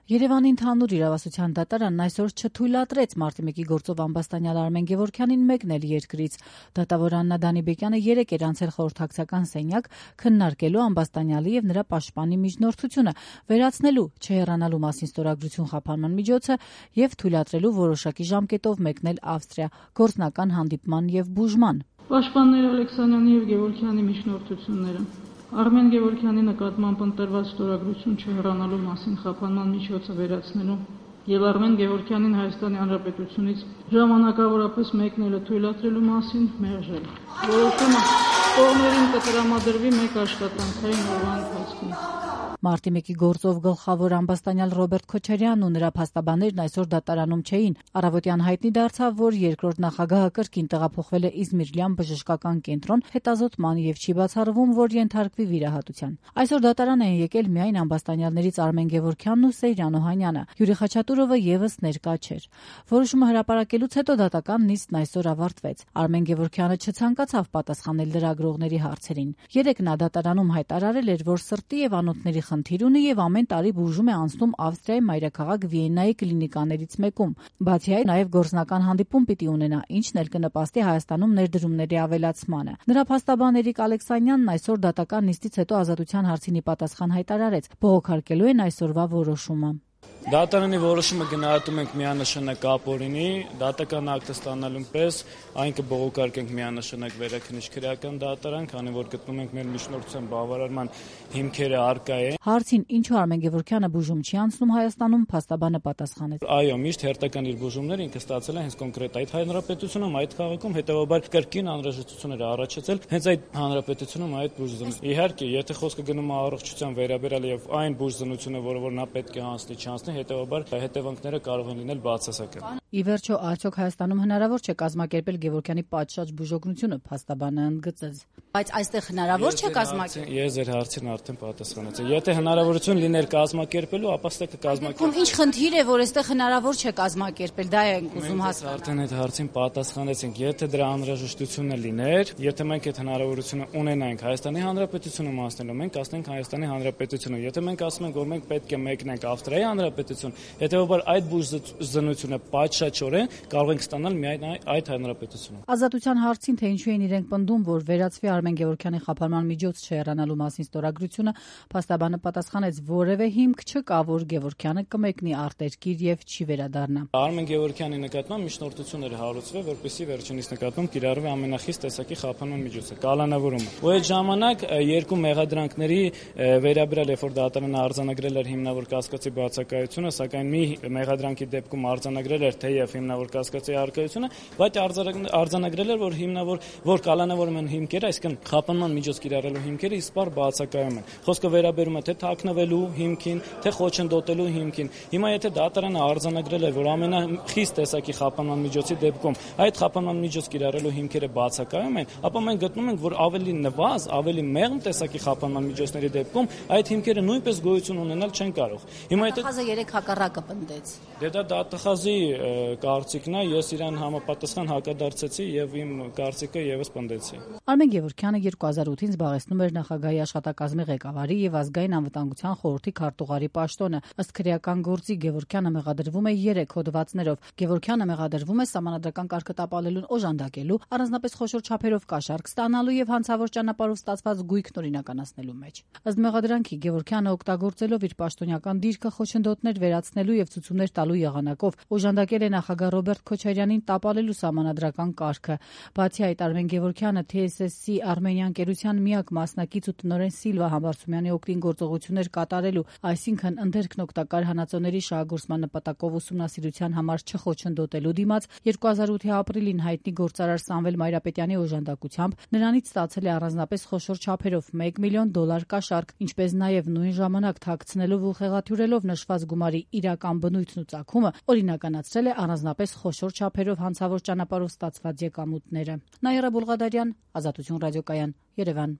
Երևանի ընդհանուր իրավասության դատարանն այսօր չթույլատրեց Մարտի 1-ի գործով ամբաստանյալ Արմեն Գևորգյանին մեկնել երկրից։ Դատավոր Աննա Դանիբեկյանը 3 էր անցել խորհրդակցական սենյակ քննարկելու ամբաստանյալի եւ նրա պաշտպանի միջնորդությունը, վերացնելու չհեռանալու մասին ստորագրություն խափանման միջոցը եւ թույլատրելու որոշակի ժամկետով մեկնել Ավստրիա գործնական հանդիպման եւ բուժման։ Պաշտպաններ Ալեքսանյանի եւ Գևորգյանի միջնորդությունները Արմեն Գևորգյանի նկատմամբ ընտրված ստորագրություն չհեռանալու մասին խափանման միջոցը վերացնելու եւ Արմեն Գևորգյանին Հայաստանի Հանրապետությունից ժամանակավորապես մեկնելը թույլատրելու մասին մերժել։ Որոշումը կողմերին կտրամադրվի մեկ աշխատանքային օրվա ընթացքում։ Մարտի 1-ի գործով գլխավոր ամբաստանյալ Ռոբերտ Քոչարյանն ու նրա փաստաբաններն այսօր դատարանում չէին։ Առավոտյան հայտնի դարձավ, որ երկրորդ նախագահը կրկին տեղափոխվել է Իզմիրլյան բժշկական կենտրոն հետազոտման եւ չի բացառվում, որ ենթարկվի վիրահատության։ Այսօր դատարան են եկել միայն ամբաստանյալներից Արմեն Գևորգյանն ու Սեյրան Օհանյանը։ Յուրի Խաչատուրովը եւս ներկա չէր։ Որոշումը հրապարակելուց հետո դատական նիստն այսօր ավարտվեց։ Արմեն Գևորգյանը չցանկացավ պատասխանել լրագրողների հարցերին։ Երեկ նա դատարանում հայտարարել էր, որ սրտի եւ անոթների խնդիր ունի եւ ամեն տարի բուժում է անցնում Ավստրիայի մայրաքաղաք Վիեննայի կլինիկաներից մեկում։ Բացի այդ, նաեւ գործնական հանդիպում պիտի ունենա, ինչն էլ կնպաստի Հայաստանում ներդրումների ավելացմանը։ Նրա փաստաբան Ալեքսանյանն այսօր դատական նիստից հետո Ազատության հարցին պատասխան հայտարարեց, բողոքարկելու են այսօրվա որոշումը։ Դատարանի որոշումը գնահատում ենք միանշանակ ապօրինի, դատական ակտը ստանալուն պես այն կբողոքարկենք միանշանակ վերաքննիչ քրեական դատարան, քանի որ գտնում ենք մեր միջնորդության բավարարման հիմքերը առկա են։ Հարցին ինչու Արմեն Գևորգյանը բուժում չի անցնում Հայաստանում, փաստաբանը պատասխանեց. Այո, միշտ հերթական իր բուժումները ինքը ստացել է հենց կոնկրետ այդ հանրապետությունում, այդ քաղաքում, հետեւաբար կրկին անհրաժեշտություններ առաջացել հենց այդ հանրապետությունում այդ բուժզնությունը։ Իհարկե, եթե խոսքը գնում է առողջության վերաբերյալ եւ այն բուժզնությունը, որը նա պետք է հանձնի, չանցնի, հետեւաբար հետևանքները կարող են լինել բացասական։ Ի վերջո, արդյոք Հայաստանում հնարավոր չէ կազմակերպել Գևորգյանի պատշաճ բուժօգնությունը, փաստաբանը ընդգծեց։ Բայց այստեղ հնարավոր չէ կազմակերպել։ Ես ձեր հարցին արդեն պատասխանեցի։ Եթե հնարավորություն լիներ կազմակերպելու, ապա ստե կկազմակերպել։ Ինչ խնդիր է, որ այստեղ հնարավոր չէ կազմակերպել, դա ենք ուզում հասկանալ։ Արդեն այդ հարցին պատասխանեցինք։ Եթե դրա անհրաժեշտությունը լիներ, եթե մենք այդ հնարավորությունը ունենայինք Հայաստանի Հանրապետությունում անցնելու, մենք ասենք Հայաստանի Հանրապետությունը։ Եթե մենք ասում ենք, որ մենք պետք է մեկնենք Ավստրիայի Հանրապետություն, հետեւաբար այդ բուժզնությունը պատշաճորեն կարող ենք ստանալ միայն այդ հանրապետությունում։ Ազատության հարցին, թե ինչու են իրենք պնդում, որ վերացվի Արմեն Գևորգյանի խափանման միջոց չհեռանալու մասին ստորագրությունը, փաստաբանը պատասխանեց, որևէ հիմք չկա, որ Գևորգյանը կմեկնի արտերկիր եւ չի վերադառնա։ Արմեն Գևորգյանի նկատմամբ միջնորդությունները հարուցվել, որպեսզի վերջինիս նկատմամբ կիրառվի ամենախիստ տեսակի խափանման միջոցը՝ կալանավորումը։ Ու այդ ժամանակ երկու մեղադրանքների վերաբերյալ, երբ որ դատարանը արձանագրել էր հիմնավոր կասկածի բացակայությունը, սակայն մի մեղադրանքի դեպքում արձանագրել էր թեև հիմնավոր կասկածի առկայությունը, բայց արձանագրել էր, որ կալանավորման հիմքերը, այսինքն խափանման միջոց կիրառելու հիմքերը իսպառ բացակայում են։ Խոսքը վերաբերում է թե թաքնվելու հիմքին, թե խոչընդոտելու հիմքին։ Հիմա եթե դատարանը արձանագրել էր, որ ամենախիստ տեսակի խափանման միջոցի դեպքում այդ խափանման միջոց կիրառելու հիմքերը բացակայում են, ապա մենք գտնում ենք, որ ավելի նվազ, ավելի մեղմ տեսակի խափանման միջոցների դեպքում այդ հիմքերը նույնպես գոյություն ունենալ չեն կարող։ Հիմա եթե Դատախազը 3 հակառակը պնդեց։ Դա դատախազի կարծիքն է, ես իրան համապատասխան հակադարձեցի եւ իմ կարծիքը եւս պնդեցի։ Արմեն Գևորգյանը 2008-ին զբաղեցնում էր նախագահի աշխատակազմի ղեկավարի եւ ազգային անվտանգության խորհրդի քարտուղարի պաշտոնը։ Ըստ քրեական գործի Գևորգյանը մեղադրվում է 3 հոդվածներով։ Գևորգյանը մեղադրվում է սահմանադրական կարգը տապալելուն օժանդակելու, առանձնապես խոշոր չափերով կաշառք ստանալու եւ հանցավոր ճանապարհով ստացված գույքն օրինականացնելու մեջ։ Ըստ մեղադրանքի Գևորգյանը օգտագործելով իր պաշտոնյական դիրքը խոչընդոտներ վերացնելու եւ ցուցումներ տալու եղանակով օժանդակել է նախագահ Ռոբերտ Քոչարյանին տապալելու սահմանադրական կարգը։ Բացի այդ, Արմեն Գևորգյանը TSS-ի Արմենիան կերության միակ մասնակից ու տնօրեն Սիլվա Համբարձումյանի օգտին գործողություններ կատարելու, այսինքն ընդերքն օգտակար հանածոների շահագործման նպատակով ուսումնասիրության համար չխոչընդոտելու դիմաց 2008-ի ապրիլին հայտնի գործարար Սամվել Մայրապետյանի օժանդակությամբ նրանից ստացել է առանձնապես խոշոր չափերով $1 միլիոն կաշառք, ինչպես նաև նույն ժամանակ թաքցնելով ու խեղաթյուրելով նշված գումարի իրական բնույթն ու ծագումը օրինականացրել է առանձնապես խոշոր չափերով հանցավոր ճանապարհով ստացված եկամուտները։ Նաիրա Բուլղադարյան, Ազատություն ռադիոկայան, Երևան։